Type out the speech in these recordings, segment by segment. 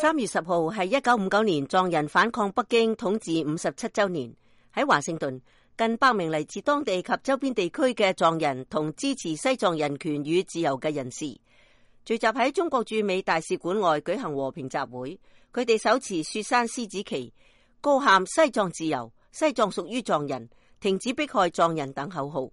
3月10號係1959年藏人反抗北京統治57週年。喺華盛頓，近100名嚟自當地及周邊地區嘅藏人同支持西藏人權與自由嘅人士，聚集喺中國駐美大使館外舉行和平集會。佢哋手持雪山獅子旗，高喊西藏自由、西藏屬於藏人、停止迫害藏人等口號。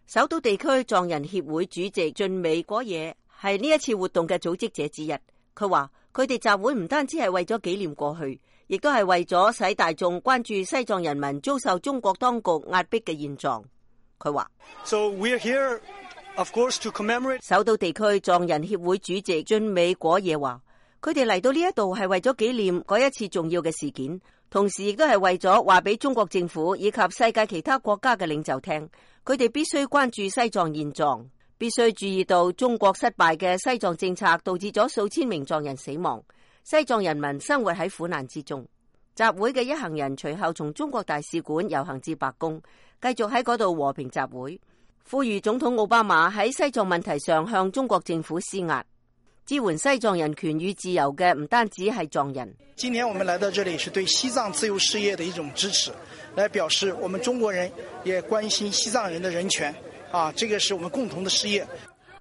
首都地區藏人協會主席俊美果野係呢一次活動嘅組織者之一。佢話佢哋集會唔單止係為咗紀念過去，亦都係為咗使大眾關注西藏人民遭受中國當局壓迫嘅現狀。佢話首都地區藏人協會主席俊美果野話，佢哋嚟到呢一度係為咗紀念嗰一次重要嘅事件，同時亦都係為咗話俾中國政府以及世界其他國家嘅領袖聽，佢哋必須關注西藏現狀，必須注意到中國失敗嘅西藏政策導致咗數千名藏人死亡，西藏人民生活喺苦難之中。集會嘅一行人隨後從中國大使館遊行至白宮，繼續喺嗰度和平集會，呼籲總統奧巴馬喺西藏問題上向中國政府施壓。支援西藏人權與自由嘅唔單止係藏人。今天我們來到這裡是對西藏自由事業的一種支持，來表示我們中國人也關心西藏人的人權。這個是我們共同的事業。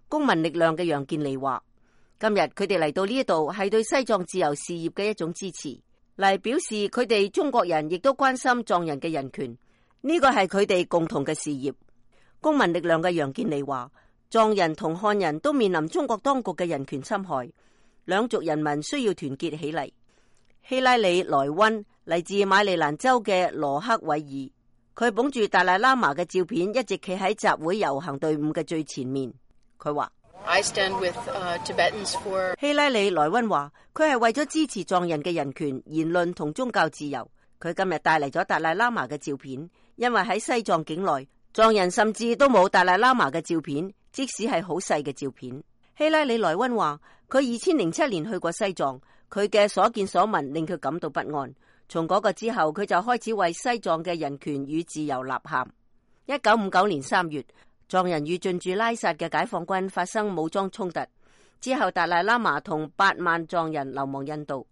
公民力量嘅楊健利話，今日佢哋嚟到呢度係對西藏自由事業嘅一種支持，嚟表示佢哋中國人亦都關心藏人嘅人權，呢個係佢哋共同嘅事業。公民力量嘅楊健利話，藏人同漢人都面臨中國當局嘅人權侵害，兩族人民需要團結起嚟。希拉里萊溫嚟自馬里蘭州嘅羅克韋爾，佢捧住達賴喇嘛嘅照片，一直企喺集會遊行隊伍嘅最前面。佢話希拉里萊溫話，佢係為咗支持藏人嘅人權、言論同宗教自由。佢今日帶嚟咗達賴喇嘛嘅照片，因為喺西藏境內，藏人甚至都冇達賴喇嘛嘅照片，即使係好細嘅照片。希拉里萊溫話，佢2007年去過西藏，佢嘅所見所聞令佢感到不安。從嗰個之後，佢就開始為西藏嘅人權與自由吶喊。1959年3月，藏人與進駐拉薩嘅解放軍發生武裝衝突，之後達賴喇嘛同8萬藏人流亡印度。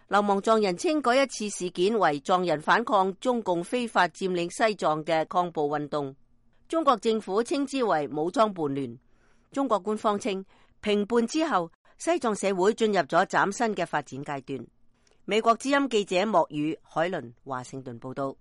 流亡藏人稱嗰一次事件為藏人反抗中共非法佔領西藏嘅抗暴運動。中國政府稱之為武裝叛亂。中國官方稱平叛之後，西藏社會進入咗嶄新嘅發展階段。美國之音記者莫宇海倫華盛頓報道。